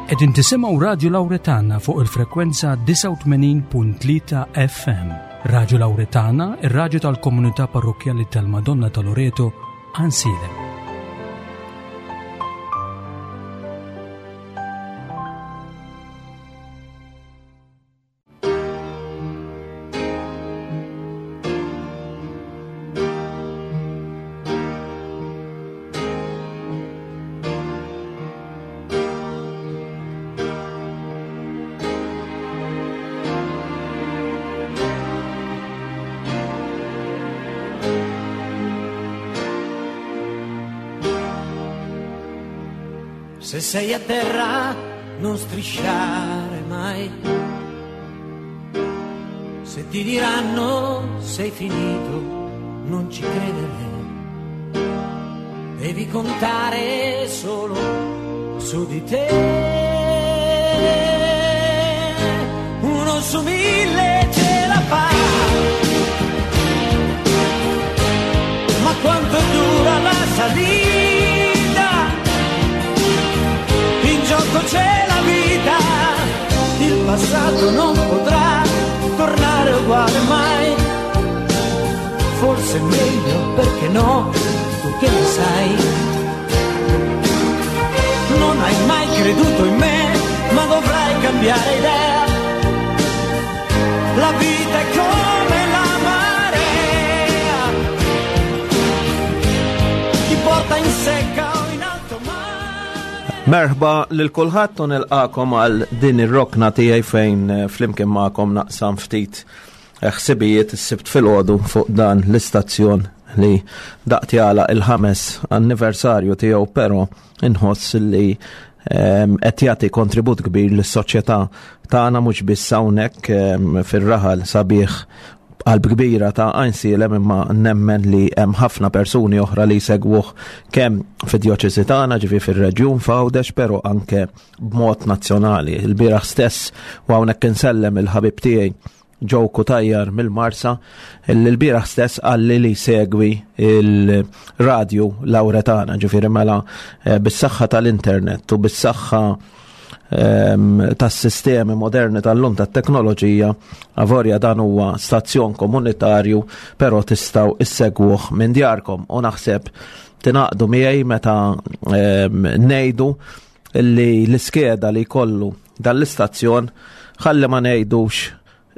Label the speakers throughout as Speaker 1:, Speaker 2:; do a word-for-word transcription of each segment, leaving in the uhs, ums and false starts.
Speaker 1: Qegħdin tisimgħu Radio Lauretana fuq il-frekwenza disgħa u tmenin punt tlieta F M. Radio Lauretana, ir-radju tal-komunità parrokkjali tal-Madonna ta' Loreto, Għajnsielem.
Speaker 2: Se sei a terra non strisciare mai. Se ti diranno sei finito, non ci credere. Devi contare solo su di te. Uno su mille ce la fa. Ma quanto dura la salita? In gioco c'è la vita, il passato non potrà tornare uguale mai. Forse è meglio, perché no, tu che ne sai? Non hai mai creduto in me, ma dovrai cambiare idea. La vita è come la marea, ti porta in secca o in alto mare.
Speaker 3: Merħba lil kulħadd u nilqakom għal din ir-rokna tiegħi fejn eh, flimkien magħkom naqsam ftit eh, ħsibijiet is-Sibt filgħodu fuq dan l-istazzjon li daqt jagħlaq il-ħames anniversarju tiegħu, però inħoss li ehm, qed jagħti kontribut kbir lis-soċjetà tagħna, mhux biss hawnhekk ehm, fir-raħal sabiħ qalb kbira ta' Għajnsielem, imma nemmen li hemm ħafna persuni oħra li jsegwuh kemm fid-djoċesi tagħna, ġifi fir-reġjun f'Għawdex, però anke b'mod nazzjonali. Il-bieraħ stess, u hawnhekk insellem il-ħabib tiegħi Joe Cutajar mill-Marsa, l-bieraħ stess qalli li segwi il-radio Lauretana, ġifieri mela eh, bis-saħħa tal-internet u bis-saħħa ehm, tas-sistemi moderni tal-lum tat-teknoloġija, avolja dan huwa stazzjon komunitarju, però tistgħu issegwuh minn djarkom u naħseb tingħaqdu miegħi meta ehm, ngħidu li l-iskeda li jkollu dan l-istazzjon, ħalli ma ngħidux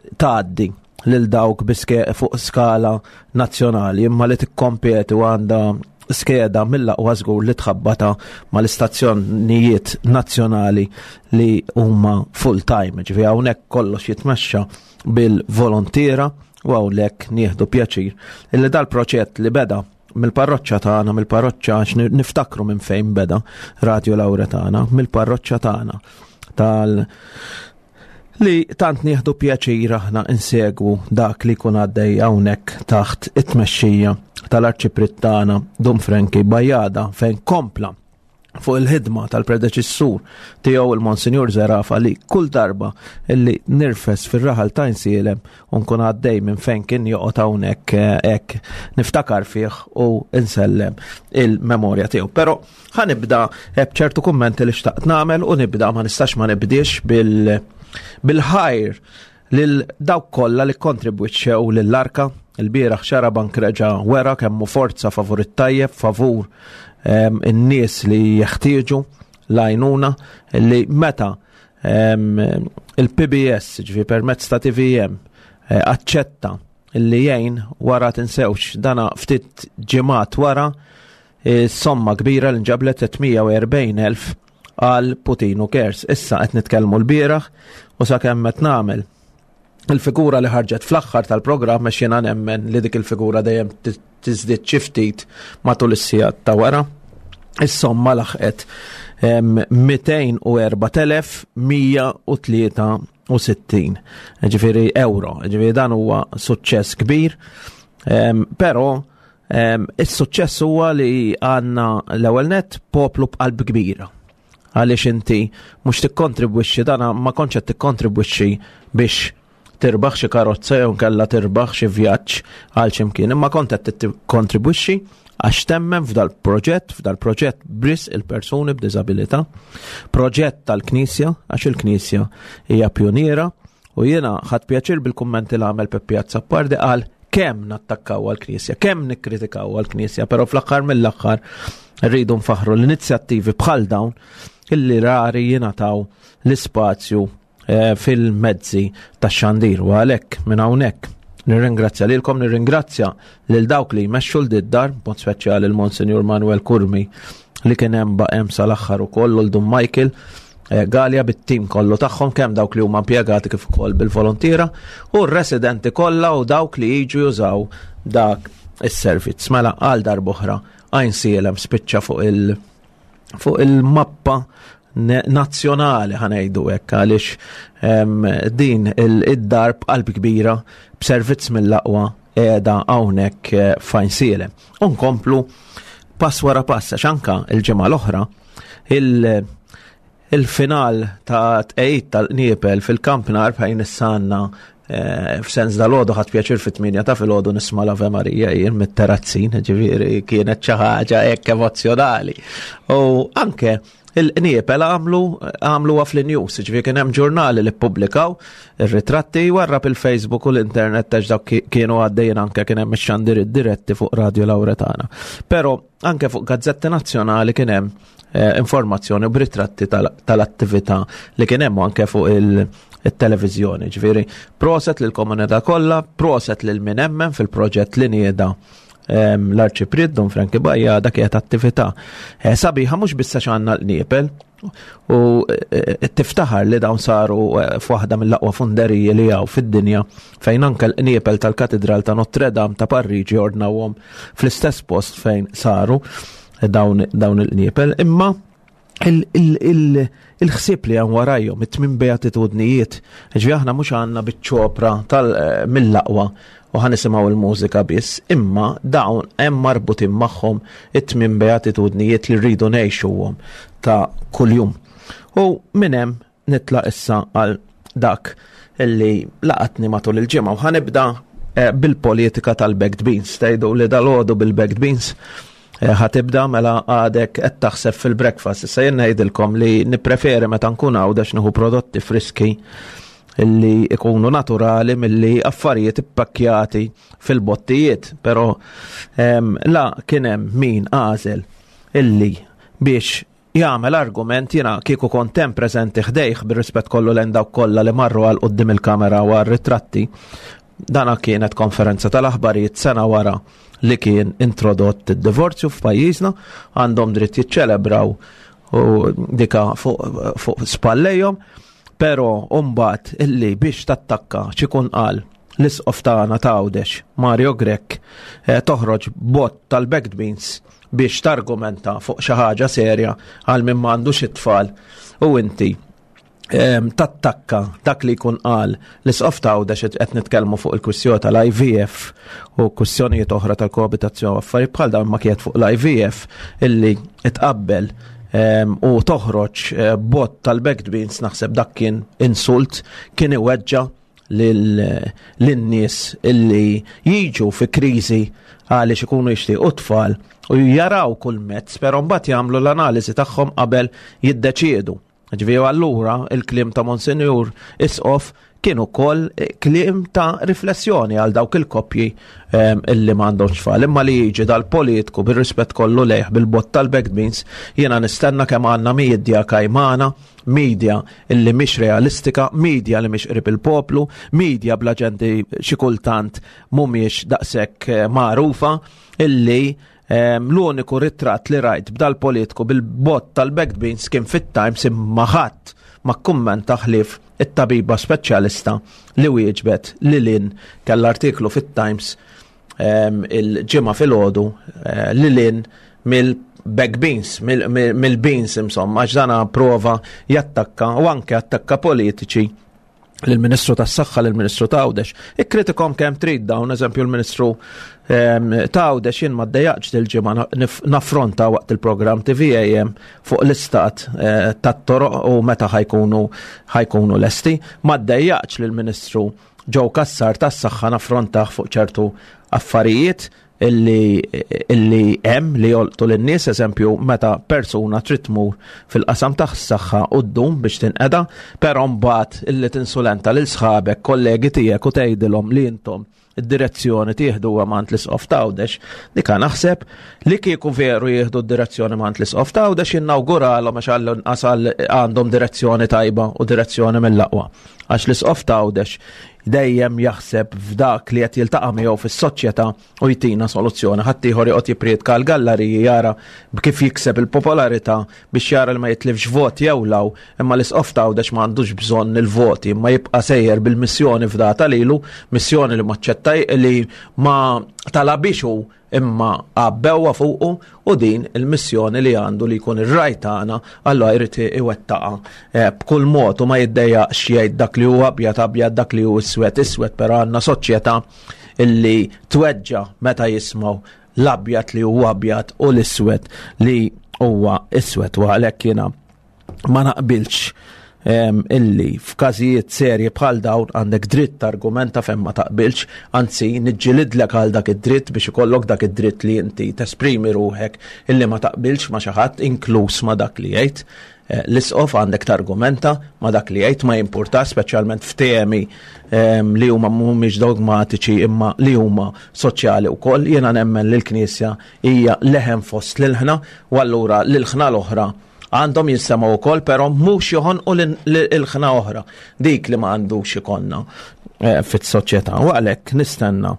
Speaker 3: tgħaddi lil dawk biske fuq skala nazzjonali, imma li tikkompeti u għandha skeda mill-aqwa, żgur li tħabbata mal-istazzjonijiet nazzjonali li huma full time. Ġifi hawnhekk kollox jitmexxa bil-volontiera u hawnhekk nieħdu pjaċir illi dal-proġett li beda mill-parroċċa tagħna, mill-parroċċa, għax niftakru minn fejn beda Radio Lauretana, mill-parroċċa tagħna tal li tant nieħdu pjaċir aħna insegwu dak li jkun għaddej hawnhekk taħt it-tmexxija tal-Arċipriet tagħna Dun Frankie Bajada, fejn kompla fuq il-ħidma tal-predeċessur tiegħu il-Monsinjur Zerafa, li kull darba illi nirfes fir-raħal ta' Għajnsielem u nkun għaddej minn fejn kien joqgħod hawnhekk eh, hekk niftakar fih u insellem il-memorja tiegħu. Però ħa nibda eh, b'ċertu kummenti li xtaqt nagħmel u nibda, ma nistax ma nibdiex bil bil-ħajr lil dawk kollha li kontribwixxew lill-arka. Il-bieraħ Xarabank reġa' wera kemmu forza favur it-tajjeb, favur em, in-nies li jeħtieġu l-għajnuna, li meta em, il-P B S, ġifi permezz ta' T V M, eh, aċċetta li jgħin wara, tinsewx dana ftit ġimgħat wara eh, somma kbira li nġablet, tliet mija u erbgħin elf għal Puttinu Cares. Issa qed nitkellmu l-bieraħ u sakemm qed nagħmel il-figura li ħarġet fl-aħħar tal-programm, għax jiena nemmen li dik il-figura dejjem tiżdied xi ftit matul is-sigħat ta' wara. Is-somma laħqet em, mitejn u erbat elef mija u tlieta u sittin. Ġifieri euro, ġifieri dan huwa suċċess kbir, em, però em, is-suċċess huwa li għandna l-ewwel net poplu b'qalb kbira. Għaliex inti mhux tikkontribwixxi, dana ma kontx qed tikkontribwixxi biex tirbaħ xi karozza jew nkella tirbaħ xi vjaġġ għal xi mkien, imma kont qed tikkontribwixxi Għax temmen f'dal-proġett, f'dal-proġett bris il-persuni b'diżabilità, proġett tal-Knisja, għax il-Knisja hija pjoniera, u jiena ħadt pjaċir bil-kummenti li għamel Peppi Azzopardi, qal kemm nattakkaw għall-Knisja, kemm nikkritikaw għall-Knisja, però fl-aħħar mill-aħħar rridu nfaħru l-inizjattivi bħal dawn illi rari jingħataw l-ispazju eh, fil-mezzi tax-xandir. U għalhekk minn hawnhekk nirringrazzja lilkom, nirringrazzja lil dawk li jmexxu l-dar, b'mod speċjali l-Monsinjur Manuel Curmi li kien hemm baqem sal-aħħar ukoll, u l-Dun Michael eh, Galea bit-tim kollu tagħhom, kemm dawk li huma impjegati kif ukoll bil-volontiera u r-residenti kollha u dawk li jiġu jużaw dak is-servizz. Mela għal darb'oħra Għajnsielem spiċċa fuq il- fuq il-mappa nazzjonali, ħa ngħidu hekk, għaliex din id-dar b'qalb kbira b'servizz mill-aqwa qiegħda hawnhekk eh, f'Għajnsielem. Unkomplu pass wara pass, għax anka il-ġimgħa l-oħra il-final ta' tqejt tal-qniepel fil-kampnar fejn issanna eh, f'sens dal-għodu ħadt pjaċir fit-tmienja ta' filgħodu nisma' l-Ave Maria jien mit-terazzin, ġifieri kienet xi ħaġa hekk emozzjonali. U anke il-qniepel għamlu għamlu fl-news, ġifieri kien hemm ġurnali li ppubblikaw ir-ritratti warra il-Facebook u l-internet tax dawk kienu għaddejjin, anke kien hemm ix-xandir diretti fuq Radio Lauretana. Però anke fuq gazzetti nazzjonali kien hemm eh, informazzjoni u b'ritratti tal-attività li kien hemm anke fuq il-televizjoni. Ġifieri, proset lill-komunità kollha, proset lil min emmen fil-proġett li nieda l-Arċipriet Dun Frankie Bajada. Kienet attività eh, sabiħa, mhux biss għax għandna l-qniepel u eh, tiftaħar li dawn saru eh, f'waħda mill-aqwa funderiji li hawn fid-dinja, fejn anke l-qniepel tal-Katedral ta' Notre Dame ta' Parigi ordnawhom fl-istess post fejn saru dawn, dawn il-qniepel, imma il-ħsieb li hemm warajhom, it-tmien beatitudnijiet, ġifieri aħna mhux għandna biċ-ċopra tal mill-aqwa u ħa nisimgħu il-mużika biss, imma dawn hemm marbutin magħhom it-tmien beatitudnijiet li rridu ngħixuhom ta' kuljum. U minn hemm nitlaq issa għal dak illi laqatni matul il-ġimgħa u ħa nibda eh, bil-politika tal-baked beans. Tgħidu li dal-għodu bil-baked beans eh, ħa tibda, mela għadek qed taħseb fil-breakfast. Issa jien ngħidilkom li nippreferi meta nkun għawdex nieħu prodotti friski illi ikunu naturali milli affarijiet ippakkjati fil-bottijiet, pero em, la kien hemm min għażel illi biex jagħmel argument, jiena kieku kont hemm preżenti ħdejh, bir-rispett kollu lejn dawk kollha li marru għal quddiem il-kamera u għal ritratti. Dana kienet konferenza tal-aħbarijiet sena wara li kien introdott id-divorzju f'pajjiżna, għandhom dritt jiċċelebraw u dika fuq fu spallejhom, pero mbagħad illi biex tattakka x'ikun qal l-isqof tagħna ta' Għawdex, Mario Grech, eh, toħroġ bott tal-baked beans biex targumenta fuq xi ħaġa serja għal min m'għandux it-tfal u inti em, tattakka dak li jkun qal l-isqof ta' Għawdex, qed nitkellmu fuq il-kwistjoni tal-I V F u kwistjonijiet oħra tal-koabitazzjoni u affarijiet bħal dawn, ma kienet fuq l-I V F illi itqabbel em, u toħroġ eh, bott tal-baked beans, naħseb dak kien insult, kien iweġġa lin-nies illi jiġu fi kriżi għaliex ikunu jixtiequ tfal u jaraw kull mezz, però mbagħad jagħmlu l-analiżi tagħhom qabel jiddeċiedu. Ġifieri allura il-kliem ta' Monsinjur Isqof kien ukoll kliem ta' riflessjoni għal dawk il-koppji em, illi m'għandhomx tfal. Imma li jiġi dal-politiku, bir-rispett kollu lejh, bil-bott tal-baked beans, jiena nistenna kemm għandna media kajmana, media illi mhix realistika, media li mhix qrib il-poplu, media bla ġenti xi kultant mhumiex daqshekk eh, magħrufa, illi em, l-uniku ritratt li rajt b'dal politiku bil-bott tal-baked beans kien fit-Times, imma ħadd ma kummenta ħlief it-tabiba speċjalista li wieġbet li lin kell artiklu fit-Times em, il-ġimgħa filgħodu eh, li lin mill-baked beans, mill-beans insomma, għax dana prova jattakka u anke attakka politiċi, l-Ministru tas-Saħħa, l-Ministru ta' Għawdex. Ikkritikom kemm trid dawn, eżempju l-Ministru ehm, ta' Għawdex jien ma ddejjaqx dil-ġimgħa nif- naffronta waqt il-programm T V A M fuq l-istat eh, tat-toroq u meta ħa jkunu ħa jkunu lesti. Ma ddejjaqx lill-Ministru Joe Cassar tas-Saħħa naffrontah fuq ċertu affarijiet. illi illi hemm li jolqtu lin-nies, eżempju meta persuna trid tmur fil-qasam tas-saħħa u ddum biex tinqeda, però mbagħad illi tinsulenta lil sħabek, kollegi tiegħek u tgħidilhom li intom id-direzzjoni tieħduha mingħand l-Isqof t'Għawdex, dika naħseb li kieku veru jieħdu d-direzzjoni mingħand l-Isqof t'Għawdex jinnawguralhom għax għall-inqas għandhom direzzjoni tajba u direzzjoni mill-aqwa. Għax l-Isqof t'Għawdex dejjem jaħseb f'dak li qed jiltaqa' miegħu fis-soċjetà u jtina soluzzjoni. Ħadd ieħor joqgħod jipprietka l-gallariji jara kif jikseb il-popolarità biex jara li ma jitlifx vot jew law, imma l-Isqof t'Għawdex ma għandux bżonn il-voti, imma jibqa' sejjer bil-missjoni fdata lilu, missjoni li ma ċċettaj li ma talabix hu imma għabbewha fuqu, u din il-missjoni li għandu li jkun ir-ragħaj tagħna, allura jrid iwettaqha eh, b'kull mod u ma jiddejjaqx jgħid dak li huwa abjad abjad, dak li hu iswed iswed, però għandna soċjetà illi tweġġa meta jismgħu l-abjad li huwa abjad u l-iswed li huwa iswed, u għalhekk jiena ma naqbilx em, illi f'każijiet serji bħal dawn għandek dritt argumenta fejn ma taqbilx, anzi niġġilidlek għal dak id-dritt biex ikollok dak id-dritt li inti tesprimi ruħek illi ma taqbilx ma xi ħadd, inkluż ma dak li jgħid. Eh, L-isqof għandek targumenta ma dak li jgħid, ma jimpurta, speċjalment f'temi em, li huma mhumiex dogmatiċi imma li huma soċjali wkoll. Jiena nemmen li l-Knisja hija leħen fost l-ilħna, u allura l-ilħna l-oħra għandhom jinsemgħu wkoll, però mhux joħonqu l-ilħna oħra, dik li ma għandux ikollna eh, fis-soċjetà. U għalhekk nistenna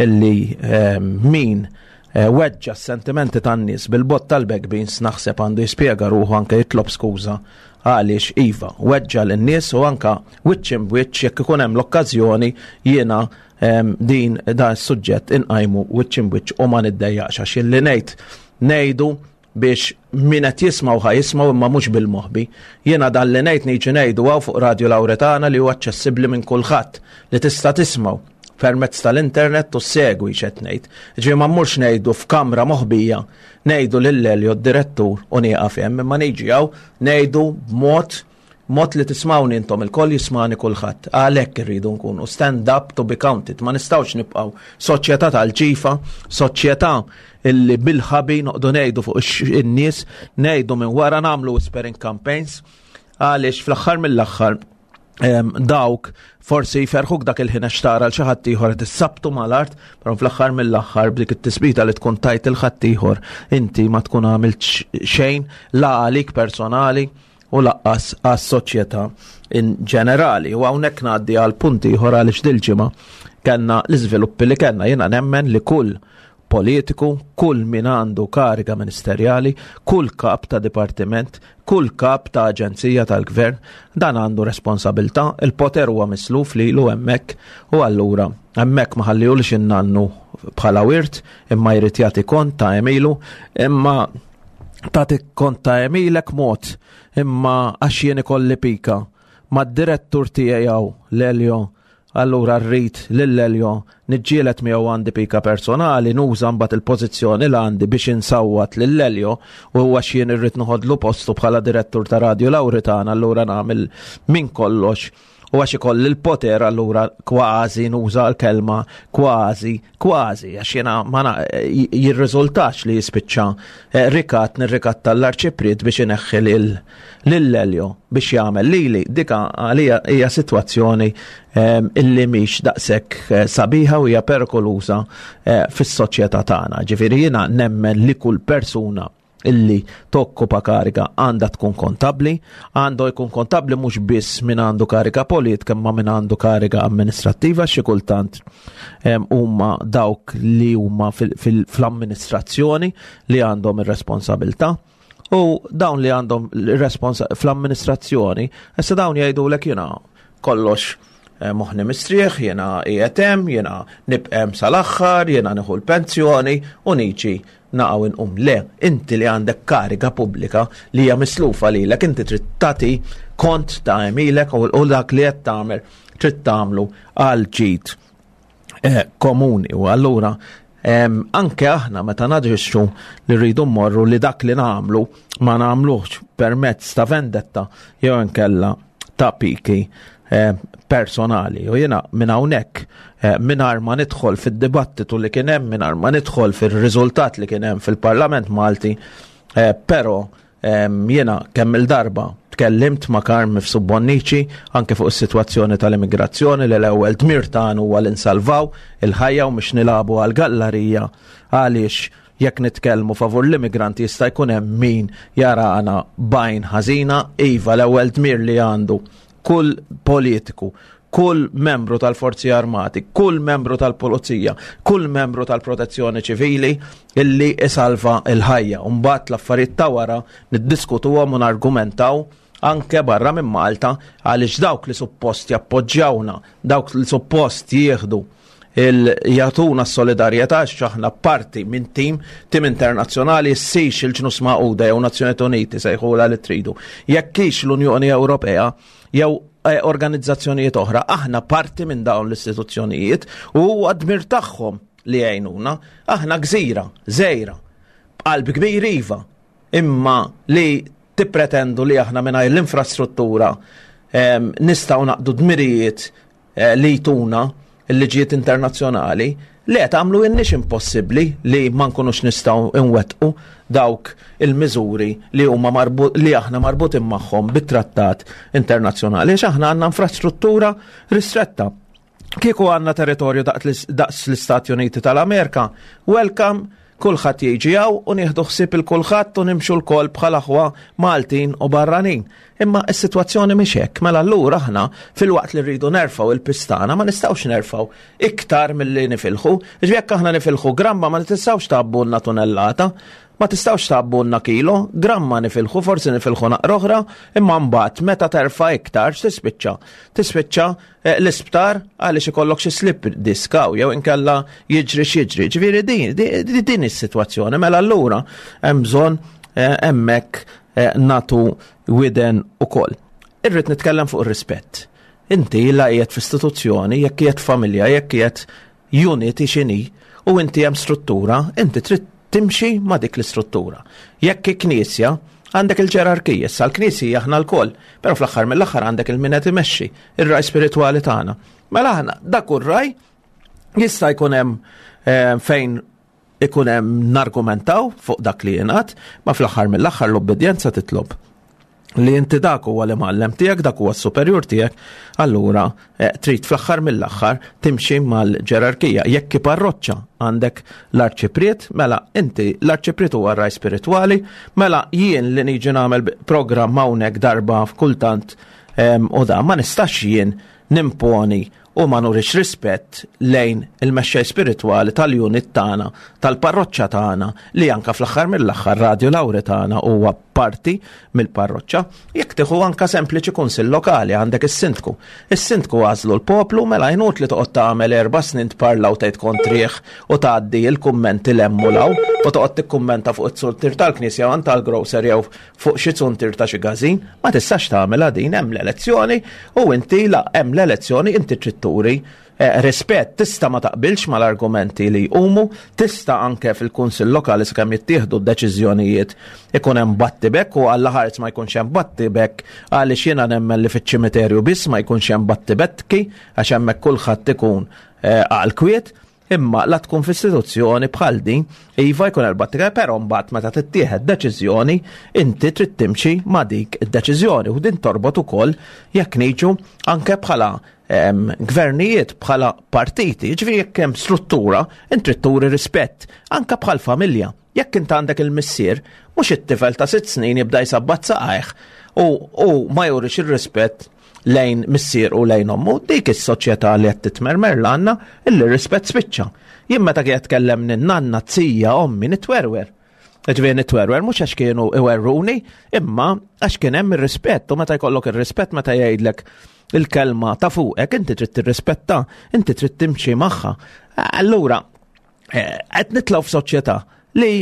Speaker 3: illi eh, min eh, weġġa s-sentimenti tan-nies bil-bott tal-baked beans naħseb għandu jispjega ruħu, anke jitlob skuża għaliex iva, weġġa lin-nies, u anka wiċċ imb wiċċ jekk ikun hemm l-okkażjoni jiena em, din dan is-suġġett inqajmu wiċċ imb wiċċ u ma niddejjaqx, għax illi ngħid ngħidu biex min qed jismgħu ħa jismgħu, imma mhux bil-moħbi. Jiena dan li ngħid niġi ngħidu hawn fuq Radio Lauretana li huwa aċċessibbli minn kulħadd, li tista' tismgħu permezz tal-internet u segwi x'qed ngħid. Ġifieri ma mmurx ngħidu f'kamra moħbija, ngħidu lil Elio d-direttur u nieqaf hemm, imma niġi hawn ngħidu b'mod mod li tismawni intom il-koll, jismani kulħadd. Għalhekk irridu nkunu stand up to be counted. Ma nistgħux nibqgħu soċjetà tal-ġifa, soċjetà illi bil-ħabi noqdu ngħidu fuq in-nies, ngħidu minn wara, nagħmlu whispering campaigns, għaliex fl-aħħar mill-aħħar em, dawk forsi jferħuk dak il-ħin għax tara l xi ħadd ieħor qed issabtu mal-art, però fl-aħħar mill-aħħar b'dik it-tisbita li tkun tajt il ħadd ieħor inti ma tkun għamilt xejn la għalik personali u lanqas għas-soċjetà in ġenerali. U hawnhekk ngħaddi għal punti ieħor għaliex dil-ġimgħa kellna l-iżviluppi li kellna. Jiena nemmen li kull politiku, kull min għandu kariga ministerjali, kull kap ta' dipartiment, kull kap ta' aġenzija tal-gvern, dan għandu responsabilta, il-poter huwa misluf li lu hemmhekk, u allura hemmhekk ma ħallihulux in-nannu bħala wirt, imma jrid jagħti kont ta' għemilu, imma tagħti kont ta' għemilek mod, imma għax jien ikolli pika mad-direttur tiegħi hawn l-Elio, allura rrid lil Elio niġġielet miegħu, għandi pika personali, nuża mbagħad il-pożizzjoni li għandi biex insawwat lil Elio, u għax jien irrid noħodlu postu bħala direttur ta' Radio Lauretana, allura nagħmel minn kollox, u għax ikolli l-poter allura kważi nuża l-kelma kważi, kważi, għax jena ma jirriżultax li jispiċċa eh, rikat nirrikatta l-arċipriet biex ineħħi lil Elio biex jagħmel lili. Dika għalija hija sitwazzjoni ehm, illi mhix daqshekk eh, sabiħa u hija perikoluża eh, fis-soċjetà tagħna. Ġifieri jiena nemmen li kull persuna illi tokkupa kariga għandha tkun kontabli, għandu jkun kontabli mhux biss min għandu kariga politika imma min għandu kariga amministrattiva. Xi kultant huma dawk li huma fl-amministrazzjoni li għandhom ir-responsabilità. U dawn li għandhom fl-amministrazzjoni, issa dawn jgħidulek jiena kollox eh, moħni mistrieħ, jiena qiegħed hemm, jiena nibqa' hemm sal-aħħar, jiena nieħu l-pensjoni u niġi naqa' inqum. Le, inti li għandek kariga pubblika li hija mislufa lilek, inti trid tagħti kont ta' għemilek u dak li qed tagħmel trid tagħmlu għal ġid eh, komuni. U allura anke aħna meta naġixxu li rridu mmorru li dak li nagħmlu ma nagħmluhx permezz ta' vendetta jew inkella ta' piki. eh, personali. U jiena minn hawnhekk, eh, mingħajr ma nidħol fid-dibattitu li kien hemm, mingħajr ma nidħol fir-riżultat li kien hemm fil-Parlament Malti, eh, però jiena kemm il-darba tkellimt ma' Carm Mifsud Bonnici anke fuq is-sitwazzjoni tal-immigrazzjoni, li l-ewwel dmir tagħna huwa li nsalvaw il-ħajja u mhux nilagħbu għal-gallarija, għaliex jekk nitkellmu favur l-immigranti jista' jkun hemm min jarana b'għajn ħażina. Iva, l-ewwel dmir li għandu kull politiku, kull membru tal-Forzi Armati, kull membru tal-Pulizija, kull membru tal-Protezzjoni Ċivili illi isalva il-ħajja. Mbagħad l-affarijiet ta' wara niddiskutuhom u nargumentaw anke barra minn Malta, għaliex dawk li suppost jappoġġjawna, dawk li suppost jieħdu jagħtuna s-solidarjetà, aħna parti minn tim, tim internazzjonali, ssix il-Ġnus Magħquda jew Nazzjonijiet Uniti, sejħula li tridu. Jekk hix l-Unjoni Ewropea jew eh, organizzazzjonijiet oħra, aħna parti minn dawn l-istituzzjonijiet u huwa dmir tagħhom li jgħinuna. Aħna gżira, żgħira, b'qalb kbir iva, imma li tippretendu li aħna mingħajr l-infrastruttura em, nistgħu naqdu dmirijiet eh, li jtuna il-liġijiet internazzjonali, li qed tagħmlu inniex impossibbli li ma nkunux nistgħu nwettqu dawk il-miżuri li huma marbu, li aħna marbutin magħhom bit-trattat internazzjonali, għax aħna għandna infrastruttura ristretta. Kieku għandna territorju daqs daqs l-Istati Uniti tal-Amerika, welcome, kulħadd jiġi hawn u nieħdu ħsieb il kulħadd u nimxu lkoll bħala aħwa Maltin u barranin. Imma s-sitwazzjoni mhix hekk, mela allura aħna filwaqt li rridu nerfgħu il-pistana ma nistgħux nerfgħu iktar milli nifilħu. Ġifieri jekk aħna nifilħu gramma, ma nistgħux tgħabbulna tunellata, ma tistgħux tgħabbulna kilo, gramma nifilħu, forsi nifilħu naqra oħra, imma mbagħad meta terfa' iktar x'tispiċċa? Tispiċċa eh, l-isptar għaliex ikollok xi slip disc hawn jew inkella jiġri x'jiġri. Ġifieri din din din is-sitwazzjoni, mela allura hemm bżonn eh, hemmhekk eh, natu widen ukoll. Irrid nitkellem fuq ir-rispett. Inti la qiegħed f'istituzzjoni, jekk qiegħed familja, jekk qiegħed unit x'inhi, u inti hemm struttura, inti trid timxi ma' dik l-istruttura. Jekk knisja, għandek il-ġerarkija, issa l-knisja aħna lkoll, però fl-aħħar mill-aħħar għandek il-min qed imexxi, ir-ragħaj spiritwali tagħna. Mela aħna dak ir-ragħaj jista' jkun hemm eh, fejn ikun hemm nargumentaw fuq dak li jingħad, ma fl-aħħar mill-aħħar l-obbedjenza titlob li inti dak huwa l-imgħallem tiegħek, dak huwa s-superjur tiegħek, allura eh, trid fl-aħħar mill-aħħar timxi mal-ġerarkija. Jekk parroċċa għandek l-arċipriet, mela inti l-arċipriet huwa r-ragħaj spiritwali, mela jien li niġi nagħmel programm hawnhekk darba f'kultant em, u da ma nistax jien nimponi u ma nurix rispett lejn il-mexxej spiritwali tal-unit tagħna, tal-parroċċa tagħna, li anka fl-aħħar mill-aħħar Radio Lauretana huwa parti mill-parroċċa. Jekk tieħu anka sempliċi kunsill lokali, għandek is-sindku. Is-sindku għażlu l-poplu, mela inutli toqgħod tagħmel erba' snin tparla u tgħid kontrih u tgħaddi l-kummenti lemmu law u toqgħod tikkummenta fuq it-zuntier tal-knisja jew tal-grocer jew fuq xi zuntier ta' xi każin, ma tistax tagħmilha din. Hemm l-elezzjoni u inti la hemm l-elezzjoni inti trid turi eh, rispett. Tista' ma taqbilx mal-argumenti li jqumu, tista' anke fil-kunsill lokali sakemm jittieħdu d-deċiżjonijiet ikun hemm battibek, u għalla ħares ma jkunx hemm battibek, għaliex jiena nemmen li fiċ-ċimiterju biss ma jkunx hemm battibekki, għax hemmhekk kulħadd ikun eh, għal kwiet. Imma la tkun f'istituzzjoni bħal din, iva jkun il-battibek, però mbagħad meta tittieħed deċiżjoni, inti trid timxi ma' dik id-deċiżjoni, u din torbot ukoll jekk niġu anke bħala em, gvernijiet, bħala partiti, ġifieri jekk hemm struttura, inti trid turi rispett, anke bħal familja. Jekk int għandek il-missier, mhux it-tifel ta' sitt snin jibda jsabbat saqajh u, u ma jurix ir-rispett lejn missier u lejn ommu, dik is-soċjetà li qed titmermer l-għandna illi rispett spiċċa. Jien meta kien tkellem nanna, zija, ommi, nitwerwer. Ġifieri nitwerwer mhux għax kienu iwerruni, imma għax kien hemm ir-rispett, u meta jkollok ir-rispett, meta jgħidlek il-kelma ta' fuqek, inti trid tirrispetta, inti trid timxi magħha. Allura, eh, qed nitilgħu f'soċjetà li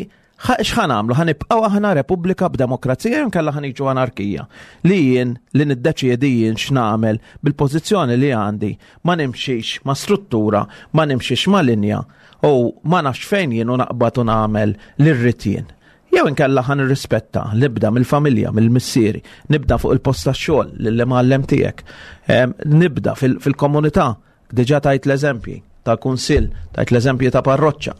Speaker 3: x'ħa nagħmlu? Ħa nibqgħu aħna repubblika b'demokrazija jew inkella ħa niġu anarkija? Li jien li niddeċiedi jien x'nagħmel bil-pożizzjoni li għandi, ma nimxix ma' struttura, ma nimxix ma' linja u ma nafx fejn jien u naqbad u nagħmel li rrid jien. Jew inkella ħa nirrispetta, nibda mill-familja, mill-missieri, nibda fuq il-post tax-xogħol lill-imgħallem tiegħek, nibda fil-komunità, diġà tajt l-eżempji ta' kunsill, tajt l-eżempji ta' parroċċa,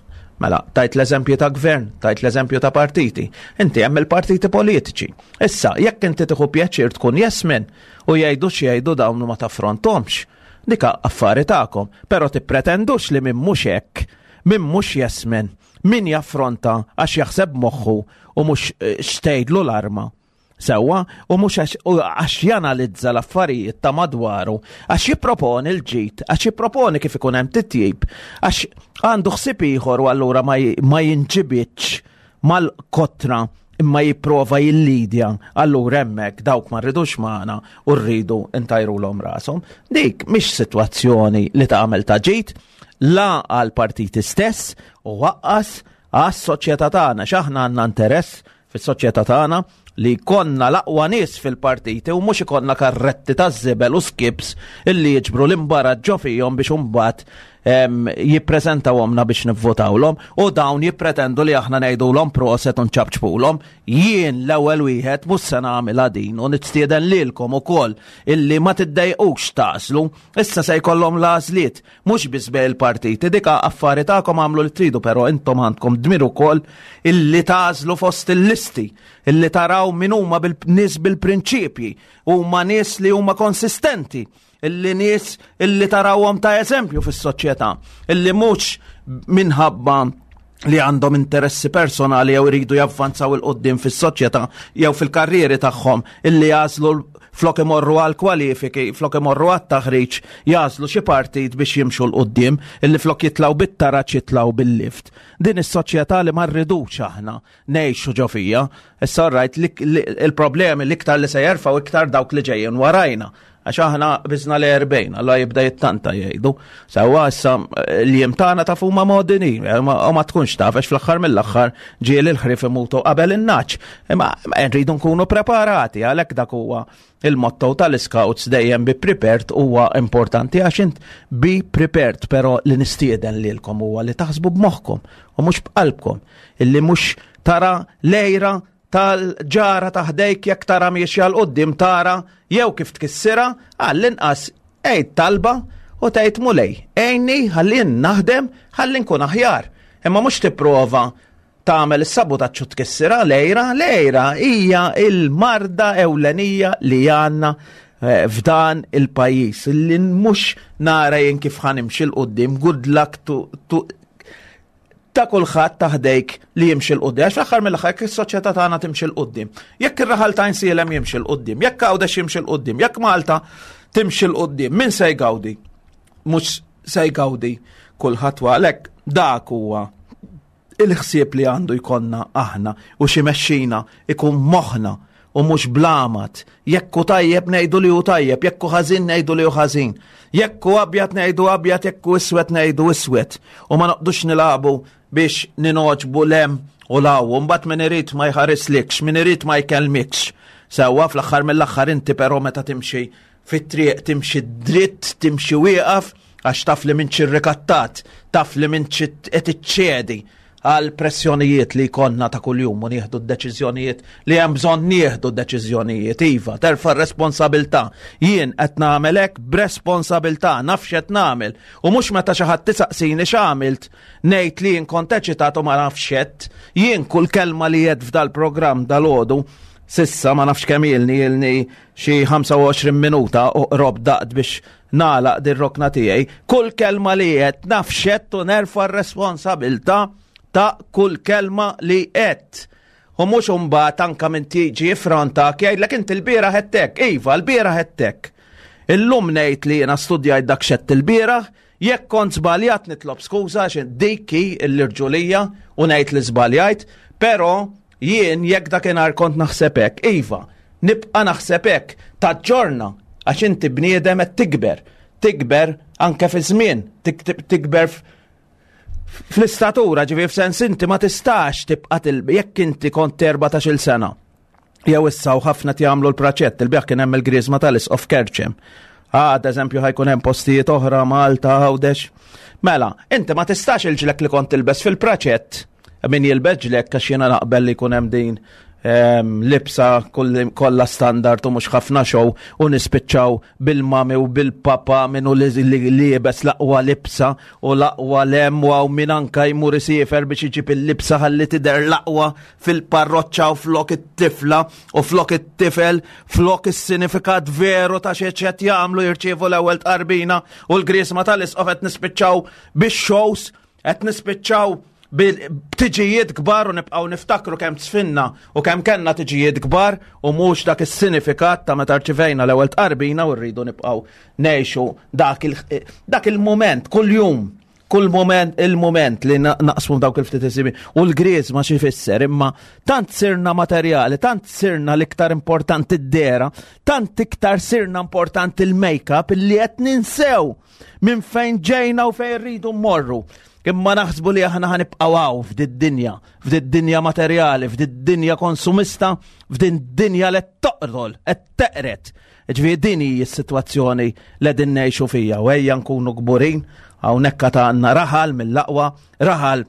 Speaker 3: mela tajt l-eżempju ta' gvern, tajt l-eżempju ta' partiti. Inti hemm il-partiti politiċi. Issa, jekk inti tieħu pjaċir tkun yes man u jgħidu x'jgħidu dawn ma taffrontomx, dika affari tagħkom, però tippretendux li min mhux hekk, min mhux yes man, min jaffronta għax jaħseb moħħu u mhux x'tgħidlu l-arma. Sewwa, u mhux għax janalizza l-affarijiet ta' madwaru, għax jipproponi l-ġid, għax jipproponi kif ikun hemm titjib, għax għandu ħsieb ieħor u allura ma jinġibitx mal-kotra imma jipprova jillidja, allura hemmhekk dawk ma rridux magħna u rridu ntajrulhom rashom. Dik mhix sitwazzjoni li tagħmel ta' ġid, la għal partiti stess u waqqas għas-soċjetà tagħna, x'aħna għandna interess fis-soċjetà tagħna li konna l-aqwa nies fil-partiti u mhux ikollna karretti ta' żibel u skips illi jiġbru l-imbarat ġo fihom biex imbagħad jippreżentawhomna biex nivvotawlhom u dawn jippretendu li aħna ngħidulhom proset u nċapċpulhom. Jien l-ewwel wieħed mhux se nagħmilha din u nistieden lilkom ukoll illi ma tiddejqux tagħżlu. Issa se jkollhom l-għażliet mhux biss bejn il-partiti, dika affari tagħkom għamlu li tridu, però intom għandkom dmir ukoll illi tagħżlu fost il-listi, illi taraw min huma nies bil-prinċipji, huma nies li huma konsistenti, illi nies illi tarawhom ta' eżempju fis-soċjetà, illi mhux minħabba li għandhom interessi personali jew iridu javvanzaw 'il quddiem fis-soċjetà jew fil-karrieri tagħhom, illi jagħżlu flok imorru għal kwalifiki, flok imorru għat taħriġ, jagħżlu xi partit biex jimxu 'l quddiem, illi flok jitilgħu bit-taraġ jitilgħu bil-lift. Din is-soċjetà li ma rridux aħna ngħixu ġo fija. Issa rajt il-problemi l-iktar li se jerfgħu iktar dawk li ġejjin warajna. Għax aħna biżna l-erbgħin, alla jibda jittanta jgħidu. Sewwa issa l-jiem tagħna taf huma modini, u ma tkunx taf għax fl-aħħar mill-aħħar ġieli l-ħrief imutu qabel in-naċ. Imma rridu nkunu preparati, għalhekk dak huwa il-motto tal-Scouts, dejjem be prepared huwa importanti, għax int be prepared, però li nistieden lilkom huwa li taħsbu b'moħħkom u mhux b'qalbkom, illi mhux tara lejra tal-ġara taħdejk jekk tara miexja 'l quddiem tara jew kif tkissira, għall-inqas għid talba u tgħid Mulej, għinni ħalli naħdem ħalli nkun aħjar. Imma mhux tipprova tagħmel is-sabutaġġ u tkissira lejra, lejra hija il-marda ewlenija li għandna eh, f'dan il-pajjiż li mhux nara jien kif ħa nimxi 'l quddiem, good luck to, to ta' kulħadd taħdejk li jimxi 'l quddiem. Għax fl-aħħar mill-aħħar jekk is-soċjetà tagħna timxi 'l quddiem, jekk ir-raħal ta' Għajnsielem jimxi 'l quddiem, jekk Għawdex jimxi 'l quddiem, jekk Malta timxi 'l quddiem, min se jgawdi? Mhux se jgawdi kulħadd, għalhekk dak huwa il-ħsieb li għandu jkollna aħna u xi mexxina ikun moħħna u mhux blamat. Jekk hu tajjeb ngħidu li hu tajjeb, jekk hu ħażin ngħidu li hu ħażin. Jekk hu abjad ngħidu abjad, jekk hu iswed ngħidu iswed. U ma noqdux nilagħbu biex ningħoġbu lem u law, u mbagħad min irid ma jħarislikx, min irid ma jkellmikx. Sewwa fl-aħħar mill-aħħar inti però meta timxi fit-triq timxi dritt, timxi wieqaf, għax taf li m'intx irrikattat, taf li m'intx qed iċċedi għal pressjonijiet li jkollna ta' kuljum u nieħdu d-deċiżjonijiet li hemm bżonn nieħdu d-deċiżjonijiet. Iva, terfa' r-responsabilità. Jien qed nagħmel hekk b'responsabilità, naf x'qed nagħmel. U mhux meta xi ħadd tisaqsini x'għamilt, ngħid li jien kont eċitat u ma nafx x'għedt. Jien kull kelma li għedt f'dal-programm dal-għodu, sissa ma nafx kemm ilni, ilni xi ħamsa u għoxrin minuta u qrob daqt biex nagħlaq dir-rokna tiegħi. Kull kelma li għedt naf x'għedt u nerfa' r-responsabilità ta' kull kelma li għedt. U mhux imbagħad anke minn tiġi frontak jgħidlek inti l-bieraħ għedtek. Iva, l-bieraħ għedtek. Illum ngħid li jiena studjajt dak x'għedt il-bieraħ, jekk kont żbaljat nitlob skuża għax dik hi l-irġulija u ngħid li żbaljajt, però jien jekk dakinhar kont naħseb hekk, iva, nibqa' naħseb hekk, taġġorna għax inti bniedem qed tikber, tikber anke fi żmien, tikber fl-istatura, ġifieri f'sens inti ma tistax tibqa' tilb jekk inti kont erbatax-il sena. Jew issa u ħafna jagħmlu l-praċett, il-bieraħ kien hemm il-griżma tal-Isqof Kerċem. Għad eżempju ħajkun hemm postijiet oħra Malta, Għawdex. Mela, inti ma tistax il-ġlek li kont tilbes fil-praċett Min jilbes ġlekk, għax jiena naqbel li jkun hemm din em, libsa kollha standard u mhux ħafna show u nispiċċaw bil-mami u bil-papa minnu li liebes l-aqwa libsa u l-aqwa lemwa u min anka jmur isiefer biex iġib il-libsa ħalli tidher l-aqwa fil-parroċċa u flok it-tifla u flok it-tifel, flok is-sinifikat veru ta' xi qed jagħmlu, jirċievu l-ewwel tqarbina u l-grisma tal-isqof. Qed nispiċċaw bix-shows, qed nispiċċaw b'tiġijiet kbar u nibqgħu niftakru kemm sfinna u kemm kellna tiġijiet kbar u mhux dak is-sinifikat ta' meta rċivejna l-ewwel tqarbina, u rridu nibqgħu ngħixu dak il- dak il-mument kuljum, kull moment, il-moment li naqsmu dawk il-ftit isibi u l-griż ma xi fisser. Imma tant sirna materjali, tant sirna l-iktar importanti d-dehra, tant iktar sirna importanti il-make-up illi qed ninsew minn fejn ġejna u fejn rridu mmorru. Imma naħsbu li aħna ħa nibqgħu hawn f'did-dinja, f'did-dinja materjali, f'did-dinja konsumista, f'did-dinja li toqtol, qed teqret. Ġifieri din hi s-sitwazzjoni li din ngħixu fija u ejja nkunu kburin hawnhekk ta' għandna raħal mill-aqwa, raħal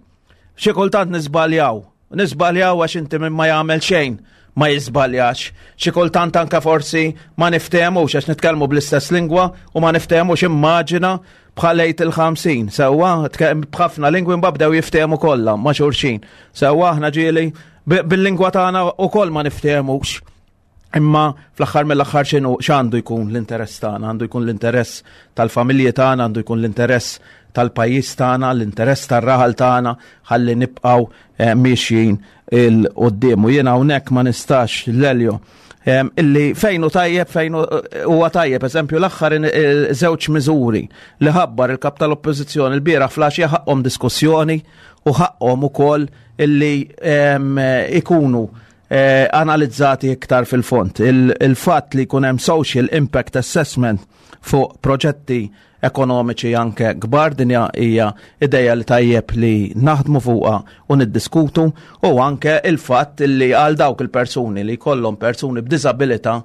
Speaker 3: xi kultant niżbaljaw. Niżbaljaw għax inti minn ma jagħmel xejn ma jiżbaljax. Xi kultant anke forsi ma niftehmux għax nitkellmu bl-istess lingwa u ma niftehmux, immaġina bħalejt il-ħamsin, sewwa, b'ħafna lingwi mbabdew jiftehmu kollha ma' xulxin. Sewwa, aħna ġieli bil-lingwa tagħna ukoll ma niftehmux. Imma fl-aħħar mill-aħħar x'inhu, x'għandu jkun l-interess tagħna? Għandu jkun l-interess tal-familji tagħna, għandu jkun l-interess tal-pajjiż tagħna, l-interess tar-raħal tagħna, ħalli nibqgħu eh, miexjin 'il quddiem. U jiena hawnhekk ma nistax, Lelio, illi fejnu tajjeb, fejnu huwa tajjeb, eżempju l-aħħar żewġ miżuri li ħabbar il-kap tal-Oppożizzjoni l-bieraħ filgħaxija ħaqhom diskussjoni u ħaqhom ukoll illi ikunu eh, analizzati iktar fil-fond. Il-fatt li jkun hemm social impact assessment fuq proġetti ekonomiċi anke kbar, dinja hija ideja li tajjeb li naħdmu fuqha u niddiskutu, u anke il-fatt li għal dawk il-persuni li jkollhom persuni b'diżabilità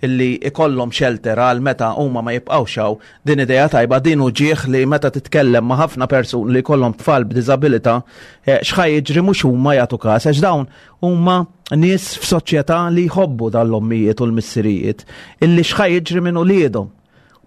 Speaker 3: illi ikollhom shelter għal meta huma ma jibqgħux hawn, din ideja tajba. Din uġieħ li meta titkellem ma' ħafna persuni li jkollhom tfal b'diżabilità, eh, x'ħa jiġri, mhux huma jagħtu każ għax dawn huma nies f'soċjetà li jħobbu dal-ommijiet u l-missirijiet, illi x'ħa jiġri minn uliedhom.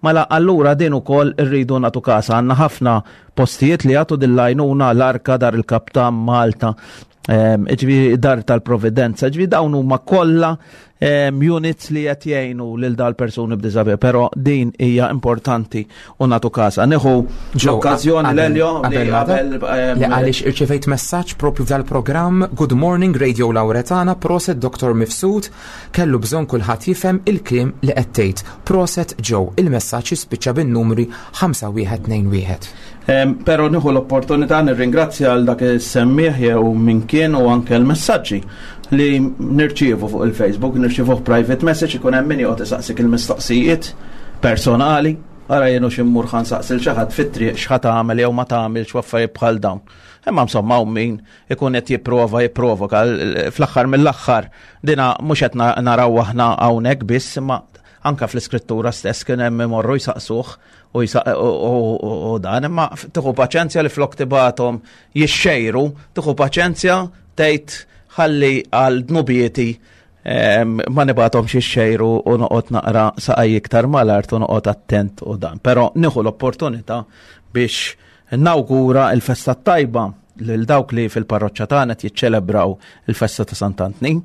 Speaker 3: Mela allura din ukoll irridu nagħtu kas. Għandna ħafna postijiet li jagħtu dil-lajnuna, l-Arka, Dar il-Kaptan Malta, ġifieri Dar tal-Providenza, ġifieri dawn huma kollha units li qed jgħinu lil dal persuni b'diżabilità, però din hija importanti u nagħtu kasa. Nieħu l-okkażjoni, Lelio,
Speaker 4: li qabel li għaliex irċevejt messaġġ propju f'dal-programm. "Good morning, Radio Lauretana, proset Doktor Mifsud, kellu bżonn kulħadd jifhem il-kliem li qed tgħid. Proset Joe." Il-messaġġ jispiċċa bin-numri ħamsa wieħed tnejn wieħed.
Speaker 3: Però nieħu l-opportunità nirringrazzja għal dak is-semmieħ jew min kien u anke l-messaġġi li nirċievu fuq il-Facebook, nirċievu private message, ikun hemm min joqgħod isaqsik il-mistoqsijiet personali. Ara jenu ximmur ħa nsaqsi 'l xi ħadd fit-triq x'ħa tagħmel jew ma tagħmilx u affarijiet bħal dawn. Imma insomma hawn min ikun qed jipprova jipprovoka. Fl-aħħar mill-aħħar dina mhux qed naraw aħna hawnhekk biss, imma anka fl-iskrittura stess kien hemm imorru jsaqsuh u dan, imma tieħu paċenzja li flok tibgħathom jixxejru, tieħu paċenzja tgħid ħalli għal dnubieti ma nibgħathomx jixxejru u noqgħod naqra saqaj iktar mal-art u noqgħod attent u dan. Però nieħu l-opportunità biex nawgura il-festa tajba lil dawk li fil-parroċċa tagħna jiċċelebraw il-festa ta' Sant'Antnin,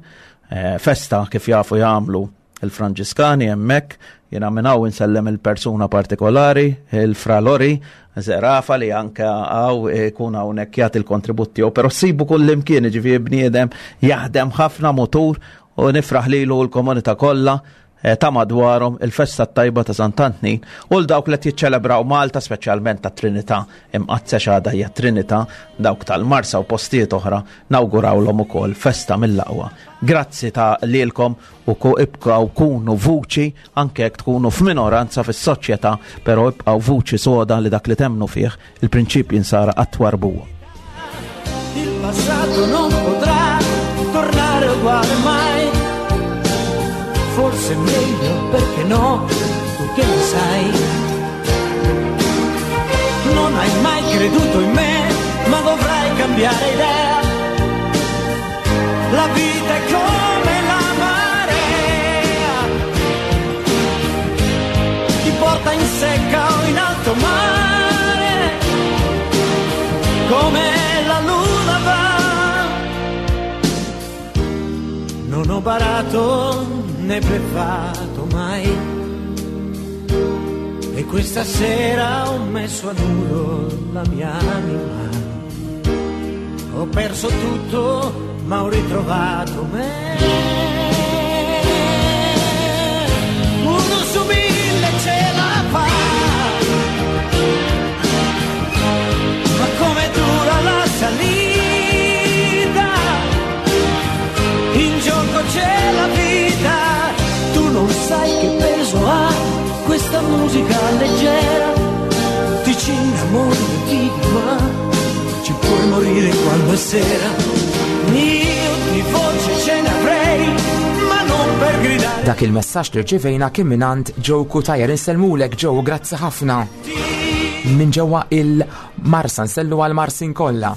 Speaker 3: eh, festa kif jafu jagħmlu il-Franġiskani hemmhekk. Jiena minn hawn insellem il-persuna partikolari, il-Fra Lori Zerafa, li anke hawn ikun hawnhekk jagħti il-kontribut tiegħu, però ssibu kull imkien, ġifieri bniedem jaħdem ħafna mutur, u nifraħ lilu l-komunità kollha eh, ta' madwarhom il-festa tajba ta' Sant'Antnin, u l-dawk li jiċċelebraw Malta, speċjalment ta' Trinità Imqaddsa, x'għada hija Trinità, dawk tal-Marsa u postijiet oħra, nawgurawlhom ukoll festa mill-aqwa. Grazzi ta' lilkom u ku ibqgħu kunu vuċi anke jekk tkunu f'minoranza fis-soċjetà, però ibqgħu vuċi soda li dak li temnu fih, il-prinċipji nsara, qatt twarrbuhom.
Speaker 2: Il passato non potrà tornare uguale mai. Forse è meglio, perché no, tu che ne sai. Non hai mai creduto in me, ma dovrai cambiare idea. La vita è come la marea, ti porta in secca o in alto mare, come la luna va. Non ho barato né bleffato mai, e questa sera ho messo a nudo la mia anima. Ho perso tutto, ma ho ritrovato me. Uno su mille ce la fa, ma come dura la salita, in gioco c'è la vita. Tu non sai che peso ha questa musica leggera, ti ci innamori e vivi, ma ci puoi morire quando è sera. Io di voce ce ne avrei, ma non per gridare.
Speaker 4: Dak il-messaġġ li rċivejna kien mingħand Joe Cutajar. Insellmulek Joe, grazzi ħafna. Minn ġewwa il-Marsa, nsellu għal-Marsin kollha.